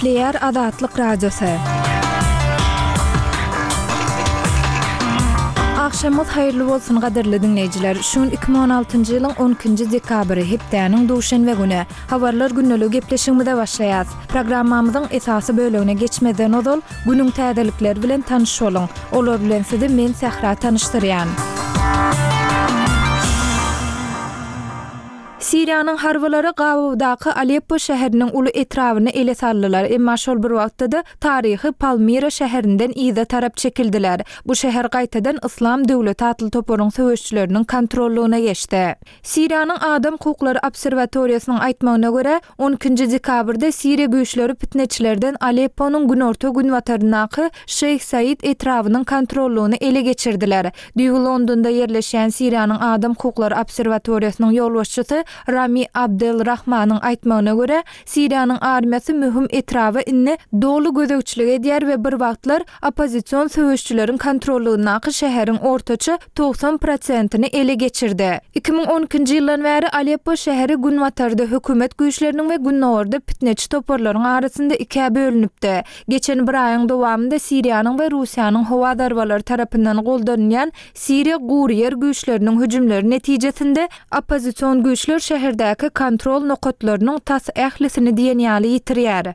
Gepleýär Azatlyk Radiosy. Agşamyňyz haýyrly bolsun gadyrly diňleýjiler. Şu gün 2016-njy ýylyň 12-nji dekabry, hepdäniň duşenbe güni. Habarlar gündeliği gepleşigimize başlaýas. Programmamyzyň esasy bölegine geçmezden ozal, günüň täzelikleri bilen tanyş boluň. Olar bilen sizi men Sähra tanyşdyrýan. Siriýanyň harbylary gabawdaky Aleppo şäheriniň uly etrabyny ele saldylar, emma şol bir wagtda-da taryhy Palmira şäherinden yza tarap çekildiler. Bu şäher gaýtadan Yslam döwleti atly toparyň söweşçileriniň kontrollygyna geçdi. Siriýanyň Adam hukuklary obserwatoriýasynyň aýtmagyna görä, on ikinji dekabrda siriýa güýçleri pitneçilerden Alepponyň günorta-günbataryndaky Şeýh Said etrabynyň kontrollygyny ele geçirdiler. Düýbi Londonda ýerleşýän Siriýanyň Adam hukuklary obserwatoriýasynyň ýolbaşçysy Rami Abdel Rahmanyň aýtmagyna görä, Siriýanyň armiýasy möhüm etraba indi doly gözegçilik edýär we bir wagtlar oppozision söweşçileriň kontrollygyndaky şäheriň ortaça 90 prosentini ele geçirdi. 2012-nji ýyldan bäri Aleppo şäheri günbatarda hökümet güýçleriniň we gündogarda pitneçi toparlaryň arasynda ikä bölünipdi. Geçen bir aýyň dowamynda Siriýanyň we Russiýanyň howa zarbalary tarapyndan goldanylýan Siriýa gury ýer güýçleriniň hüjümleri netijesinde oppozision güýçler şäherdäki kontrol nokatlarynyň tas ählisini diýen ýaly ýitirýär.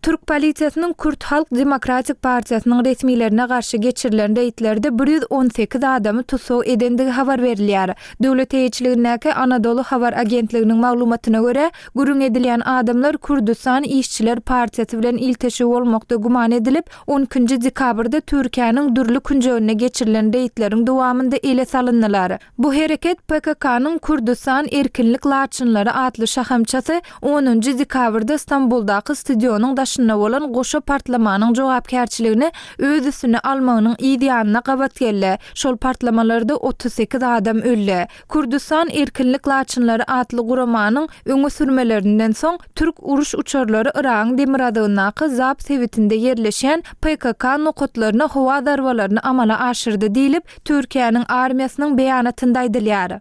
Türk polisiýasynyň Kürt halk demokratik partiýasynyň resmilerine garşy geçirilen reýdlerde 118 adamy tussag edendigi habar berilýär. Döwlet eýeçiligindäki Anadolu habar agentliginiň maglumatyna görä, gürrüň edilýän adamlar Kürdüstan işçiler partiýasy bilen ilteşigi bolmakda güman edilip, on ikinji dekabrda Türkiýäniň dürli künjeginde geçirilen reýdleriň dowamynda ele salyndylar. Bu hereket PKK-nyň Kürdüstan erkinlik laçynlary atly şahamçasy onunjy dekabrda Stambuldaky stadionyň daşynda bolan goşa partlamanyň jogapkärçiligini öz üstüne almagynyň yz ýanyna gabat geldi. Şol partlamalarda 38 adam öldi. Kürdüstan erkinlik laçynlary atly guramanyň öňe sürmelerinden soň, türk uruş uçarlary Yragyň demirgazygyndaky Zap sebitinde ýerleşýän PKK nokatlaryna howa zarbalaryny amala aşyrdy diýlip, Türkiýäniň armiýasynyň beýanatynda aýdylýar.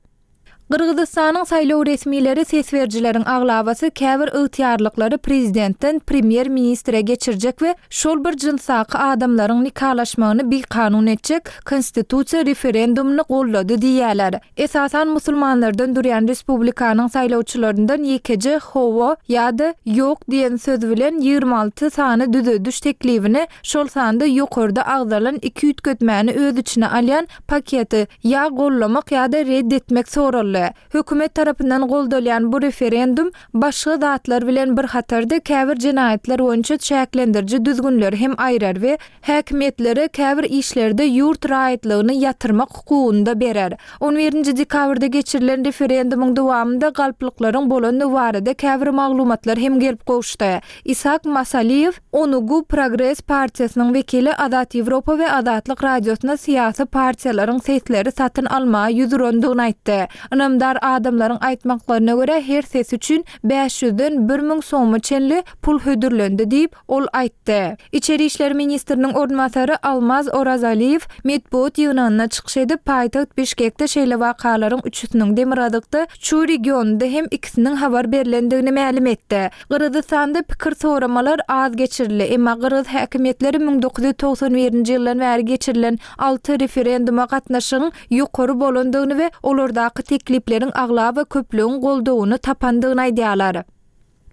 Gyrgyzystanyň saýlaw resmileri ses berijileriň aglabasy käbir ygtyýarlyklary prezidentden premýer-ministre geçirjek we şol bir jynsdaky adamlaryň nikalaşmagyny bikanun etjek konstitusiýa referendumyny goldady diýýärler. Esasan musulmanlardan durýan respublikanyň saýlawçylaryndan ýekeje hawa ýa-da ýok diýen söz bilen 26 sany düzediş teklibini, şol sanda ýokarda agzalan iki üýtgetmäni öz içine alýan paketi ýa gollamak ýa-da red etmek soraldy. Hökümet tarapyndan goldalýan bu referendum başga zatlar bilen bir hatarda käbir jenaýatlar boýunça çäklendiriji düzgünleri hem aýrar we häkimiýetlere käbir işlerde ýurt raýatlygyny ýatyrmak hukugyny-da berer. On birinji dekabrda geçirilen referendumyň dowamynda galplyklaryň bolandygy barada käbir maglumatlar hem gelip gowuşdy. Ishak Masaliýew, Onugu Progres partiýasynyň wekili Azat Ýewropa we Azatlyk Radiosyna syýasy partiýalaryň sesleri satyn almaga ýüz urandygyny aýtdy. Ynamdar adamlaryň aýtmaklaryna görä, her ses üçin bäş ýüzden 1000 soma çenli pul hödürlendi diýip, ol aýtdy. Içeri işler ministriniň orunbasary Almaz Orazaliýew metbugat ýygnagynda çykyş edip, paýtagt Bişkekde şeýle wakalaryň üçüsiniň, demirgazykda Çuý regionynda hem ikisiniň habar berlendigini mälim etdi. Gyrgyzystanda pikir soramalar az geçirildi, emma gyrgyz häkimiýetleri 1991-nji ýyldan bäri geçirilen alty referenduma gatnaşygyň ýokary bolandygyny we olardaky teklipleriň aglaba köplügiň goldawyny tapandygyny aýdýarlar.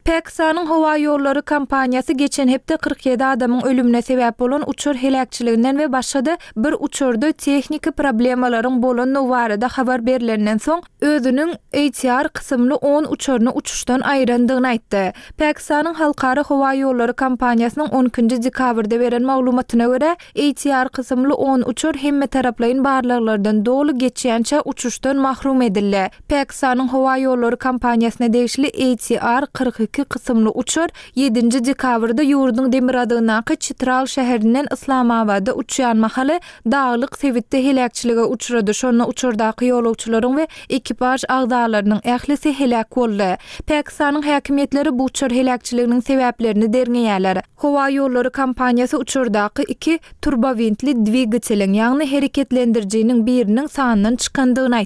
Pakistanyň howa ýollary kompaniýasy geçen hepde 47 adamyň ölümine sebäp bolan uçar heläkçiliginden we başga-da bir uçarda tehniki problemalaryň bolandygy barada habar berlenden soň, özüniň ATR kysymly on uçaryny uçuşdan aýyrandygyny aýtdy. Pakistanyň Halkara howa ýollary kompaniýasynyň on ikinji dekabrda beren maglumatyna görä, ATR kysymly on uçar hemmetaraplaýyn barlaglardan doly geçýänçä uçuşdan mahrum edildi. Pakistanyň howa ýollary kompaniýasyna degişli ATR 42 kysymly uçar ýedinji dekabrda ýurduň demirgazygyndaky Çitral şäherinden Yslamabada uçýan mahaly daglyk sebitde heläkçilige uçrady, şonda uçardaky ýolagçylaryň we ekipaž agzalarynyň ählisi heläk boldy. Pakistanyň häkimiýetleri bu uçar heläkçiliginiň sebäplerini derňeýärler. Howa ýollary kompaniýasy uçardaky iki turbowintli dwigateliň, ýagny hereketlendirijiniň biriniň sandan çykandygyny aýtdy.